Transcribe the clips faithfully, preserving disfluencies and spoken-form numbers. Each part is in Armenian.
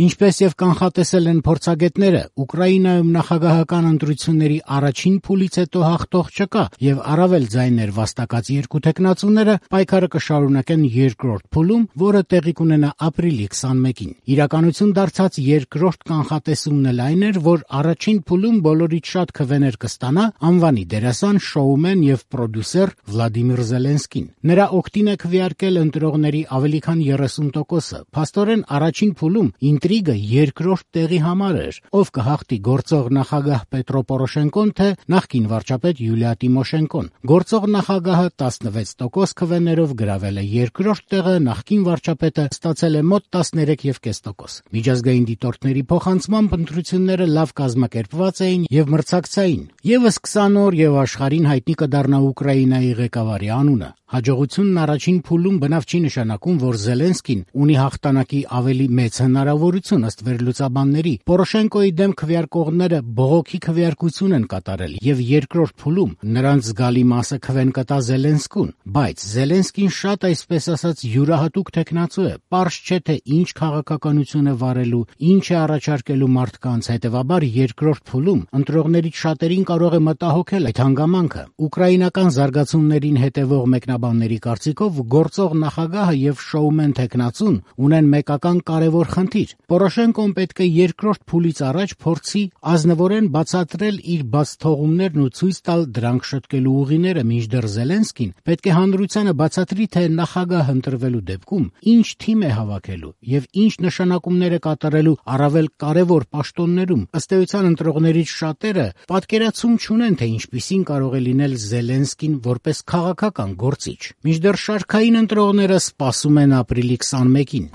Ինչպես եւ կանխատեսել են փորձագետները, Ուկրաինայում նախագահական ընտրությունների առաջին փուլից հետո հաղթող չկա եւ առավել ձայներ վաստակած երկու թեկնածուները պայքարը կշարունակեն երկրորդ փուլում, որը տեղի կունենա ապրիլի քսանմեկին։ Իրականություն դարձած երկրորդ կանխատեսումն էլ այն էր, որ առաջին փուլում բոլորից շատ քվեներ կստանա անվանի դերասան, շոումեն եւ պրոդյուսեր Վլադիմիր Զելենսկին։ Նրա օգտին է քվեարկել ընտրողների ավելի քան երեսուն տոկոսը։ Փաստորեն առաջին փուլում ինտրիգը երկրորդ տեղի համար էր, ով կհաղթի գործող նախագահ Պետրո Պորոշենկոն, թե նախկին վարչապետ Յուլիա Տիմոշենկոն։ Գործող նախագահը տասնվեց տոկոս քվեներով գրավել է երկրորդ տեղը, նախկին վարչապետը ստացել է մոտ տասներեք կόμμα պենս տոկոս։ Միջազգային դիտորդների փոխանցմամբ ընտրությունները լավ կազմակերպված էին եւ մրցակցային։ Եվս քսան օր եւ աշխարհին հայտնի կդառնա Ուկրաինայի ղեկավարի անունը։ Հաջողությունն առաջին փուլում բնավ չի նշանակում, որ Զելենսկին ունի հաղթանակի ավելի մեծ հնարավորություն ըստ վերլուծաբանների։ Պորոշենկոյի դեմ քվեարկողները բողոքի քվեարկություն են կատարել եւ երկրորդ փուլում նրանց զգալի մասը քվեն կտա Զելենսկուն, բայց Զելենսկին շատ, այսպես ասած, յուրահատուկ թեկնածու է։ Պարզ չէ, թե ինչ քաղաքականություն է վարելու, ինչ է առաջարկելու մարդկանց, հետեւաբար երկրորդ փուլում ընտրողներից շատերին կարող է մտահոգել այդ հանգամանքը։ Ուկրաինական զարգացումներին հետևող մեկնաբանների կարծիքով գործող նախագահը եւ շոումեն թեկնածուն ունեն մեկական կարևոր խնդիր։ Պորոշենկոն պետք է երկրորդ փուլից առաջ փորձի ազնվորեն բացատրել իր բացթողումներն ու ցույց տալ դրանք շտկելու ուղիները, մինչդեռ Զելենսկին պետք է հանրությանը բացատրի, թե նախագահ ընտրվելու դեպքում ինչ թիմ է հավաքելու եւ ինչ նշանակումներ է կատարելու առավել կարևոր պաշտոններում։ Ըստ էության ընտրողներից շատերը պատկերացում չունեն, թե ինչպիսին կարող է լինել Զելենսկին որպես քաղաքական գործիչ։ Մինչդեռ շարքային ընտրողները սպասում են ապրիլի քսանմեկին։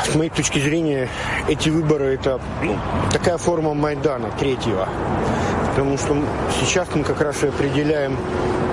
С моей точки зрения, эти выборы – это ну, такая форма Майдана третьего. Потому что сейчас мы как раз и определяем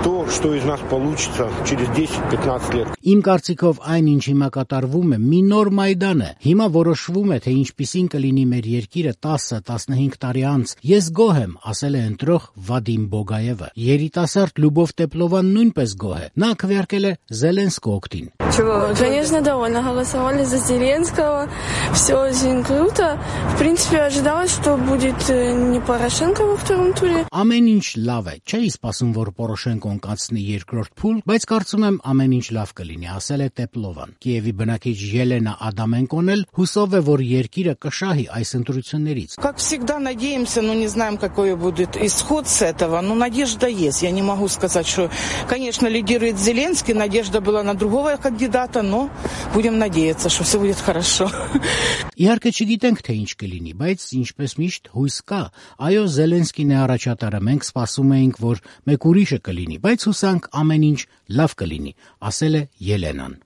то, что из нас получится через десять-пятнадцать лет. Իմ կարծիքով այն, ինչ հիմա կատարվում է, մի նոր Մայդան է։ Հիմա որոշվում է, թե ինչպիսին կլինի մեր երկիրը տասը-տասնհինգ տարի անց։ Ես գոհ եմ, ասել է ընտրող Վադիմ Բոգաևը։ Երիտասարդ Լյուբով Տեպլովան նույնպես գոհ է։ Նա քվեարկել է Զելենսկու օգտին։ Чего? Конечно, довольно. Голосовали за Зеленского. Все очень круто. В принципе, ожидалось, что будет не Порошенко во втором туре. Ամեն ինչ լավ է։ Չէի սպասում, որ Պորոշենկոն կացնի երկրորդ փուլ, բայց կարծում եմ ամեն ինչ լավ կլինի, ասել է Տեպլովան։ Կիևի բնակիչ Ելենա Ադամենկոն էլ հուսով է, որ երկիրը կշահի այս ընտրություններից։ Как всегда надеемся, но не знаем, какой будет исход с этого, но надежда есть. Я не могу сказать, что, конечно, лидирует Зеленский, надежда была на другого кандидата, но будем надеяться, что все будет хорошо. Իհարկե չգիտենք, թե ինչ կլինի, բայց ինչպես միշտ հույս կա։ Այո, Զելենսկին է առաջատարը, մենք սպասում էինք, որ մեկ ուրիշը կլինի, բայց հուսանք ամեն ինչ լավ կլինի, ասել է Ելենան։